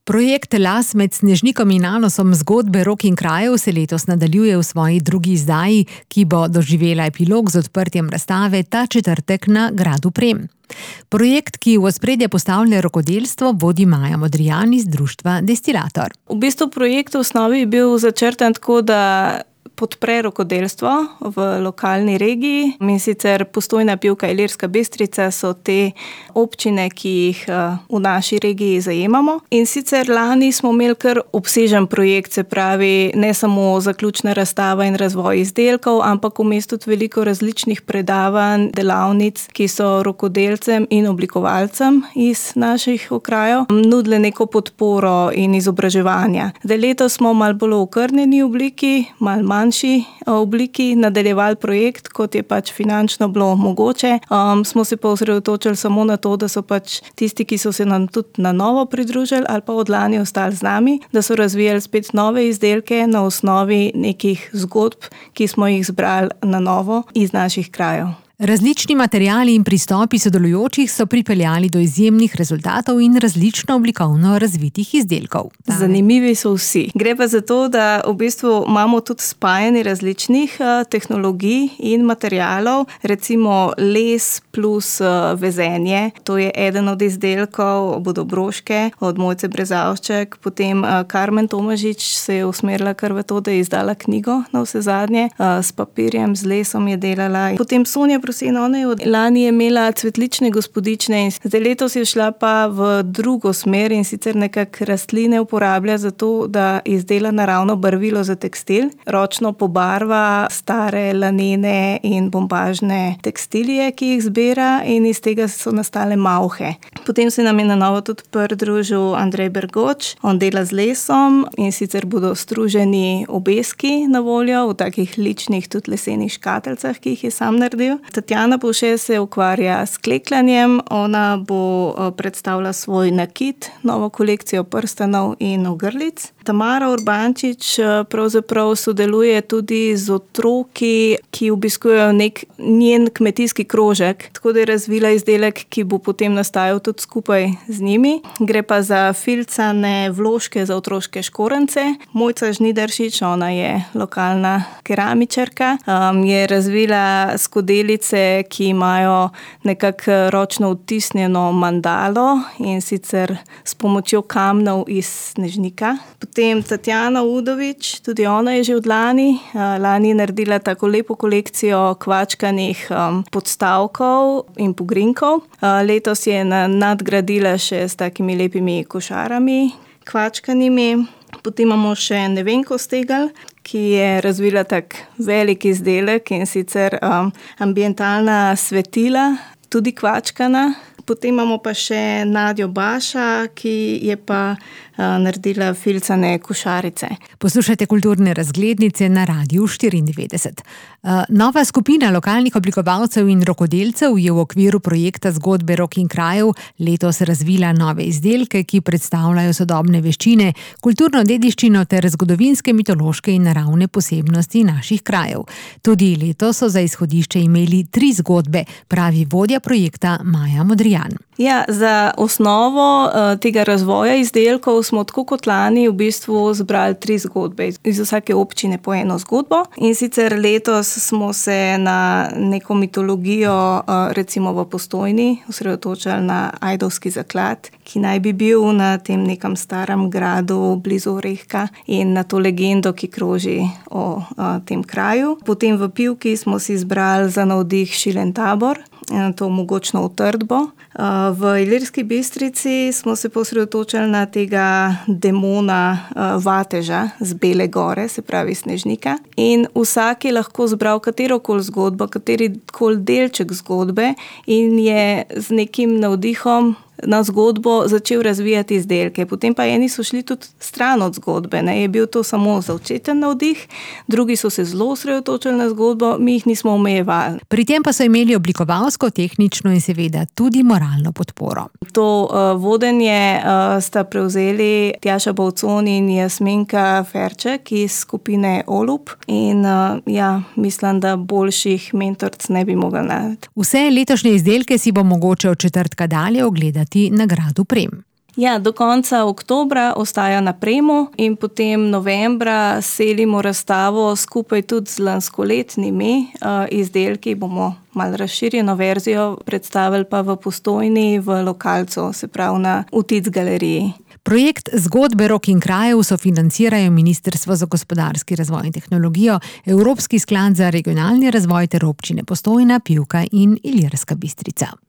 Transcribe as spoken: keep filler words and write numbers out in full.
Projekt Las med Snežnikom in Anosom zgodbe Rok in krajev se letos nadaljuje v svoji drugi izdaji, ki bo doživela epilog z odprtjem razstave ta četrtek na gradu Prem. Projekt, ki v ospredje postavlja rokodelstvo, vodi Maja Modrijan iz društva Destilator. V bistvu projekt v osnovi je bil začrtan tako, da podpre rokodelstvo v lokalni regiji. In sicer Postojna, Pivka, Ilirska Bistrica so te občine, ki jih v naši regiji zajemamo. In sicer lani smo imeli kar obsežen projekt, se pravi ne samo zaključna razstava in razvoj izdelkov, ampak vmes tudi veliko različnih predavanj, delavnic, ki so rokodelcem in oblikovalcem iz naših okrajev nudile neko podporo in izobraževanja. Zdaj letos smo malo bolj v okrnjeni obliki, malo manj obliki nadaljevali projekt, kot je pač finančno bilo mogoče. Um, smo se pa osredotočili samo na to, da so pač tisti, ki so se nam tudi na novo pridružili ali pa od lani ostali z nami, da so razvijali spet nove izdelke na osnovi nekih zgodb, ki smo jih zbrali na novo iz naših krajev. Različni materiali in pristopi sodelujočih so pripeljali do izjemnih rezultatov in različno oblikovno razvitih izdelkov. Zanimivi so vsi. Gre pa za to, da v bistvu imamo tudi spajanje različnih uh, tehnologij in materialov, recimo les plus uh, vezenje. To je eden od izdelkov Bodobroške, od Mojce Brezavšček, potem uh, Karmen Tomažič se je usmerila kar v to, da je izdala knjigo na vse zadnje, uh, s papirjem, z lesom je delala. Potem Sonja Prosen, ona je od lani je imela cvetlične gospodične in zdaj letos je šla pa v drugo smer in sicer nekak rastline uporablja za to, da izdela naravno barvilo za tekstil, ročno pobarva stare lanene in bombažne tekstilije, ki jih zbira in iz tega so nastale malhe. Potem se nam je na novo tudi pridružil Andrej Bergoč, on dela z lesom in sicer bodo struženi obeski na voljo v takih ličnih tudi lesenih škatelcah, ki jih je sam naredil. Tatjana Povše se ukvarja s klekljanjem, ona bo predstavila svoj nakit, novo kolekcijo prstanov in ogrlic. Tamara Urbančič pravzaprav sodeluje tudi z otroki, ki obiskujejo nek njen kmetijski krožek, tako da je razvila izdelek, ki bo potem nastajal tudi skupaj z njimi. Gre pa za filcane vložke za otroške škorence. Mojca Žnidaršič, ona je lokalna keramičarka, um, je razvila skodelice, ki imajo nekako ročno odtisnjeno mandalo in sicer s pomočjo kamnov iz Snežnika. Potem Tatjana Udovič, tudi ona je že od lani. Lani je naredila tako lepo kolekcijo kvačkanih um, podstavkov in pogrinkov. Letos je nadgradila še s takimi lepimi košarami kvačkanimi. Potem imamo še Nevenko Stegel, ki je razvila tak velik izdelek in sicer um, ambientalna svetila, tudi kvačkana. Potem imamo pa še Nadjo Baša, ki je pa uh, naredila filcane košarice. Poslušajte Kulturne razglednice na Radiu štiriindevetdeset. Uh, nova skupina lokalnih oblikovalcev in rokodelcev je v okviru projekta zgodbe Rok in krajev letos razvila nove izdelke, ki predstavljajo sodobne veščine, kulturno dediščino ter zgodovinske, mitološke in naravne posebnosti naših krajev. Tudi letos so za izhodišče imeli tri zgodbe, pravi vodja projekta Maja Modrijan. Ja, za osnovo uh, tega razvoja izdelkov smo tako kot lani v bistvu zbrali tri zgodbe. Iz vsake občine po eno zgodbo. In sicer letos smo se na neko mitologijo, uh, recimo v Postojni, osredotočali na Ajdovski zaklad, ki naj bi bil na tem nekem starem gradu blizu Orehka in na to legendo, ki kroži o uh, tem kraju. Potem v Pivki smo si izbrali za navdih Šilen tabor, to mogočno utrdbo. V Ilirski Bistrici smo se posredotočili na tega demona Vateža z Bele gore, se pravi Snežnika. In vsak je lahko zbral katerokoli zgodbo, katerikoli delček zgodbe in je z nekim navdihom na zgodbo začel razvijati izdelke. Potem pa eni so šli tudi stran od zgodbe, ne? Je bil to samo začeten navdih, drugi so se zelo osredotočili na zgodbo, mi jih nismo omejevali. Pri tem pa so imeli oblikovalsko, tehnično in seveda tudi moralno podporo. To uh, vodenje uh, sta prevzeli Tjaša Bovcon in Jasminka Ferček iz skupine Olub in uh, ja, mislim, da boljših mentorc ne bi mogli najti. Vse letošnje izdelke si bo mogoče od četrtka dalje ogledati na gradu Prem. Ja, do konca oktobra ostaja na Premu in potem novembra selimo razstavo skupaj tudi z lanskoletnimi uh, izdelki. Bomo malo razširjeno verzijo predstavili pa v Postojni, v lokalcu, se pravi na Utic galeriji. Projekt Zgodbe rok in krajev sofinancirajo Ministrstvo za gospodarski razvoj in tehnologijo, Evropski sklad za regionalni razvoj ter občine Postojna, Pivka in Ilirska Bistrica.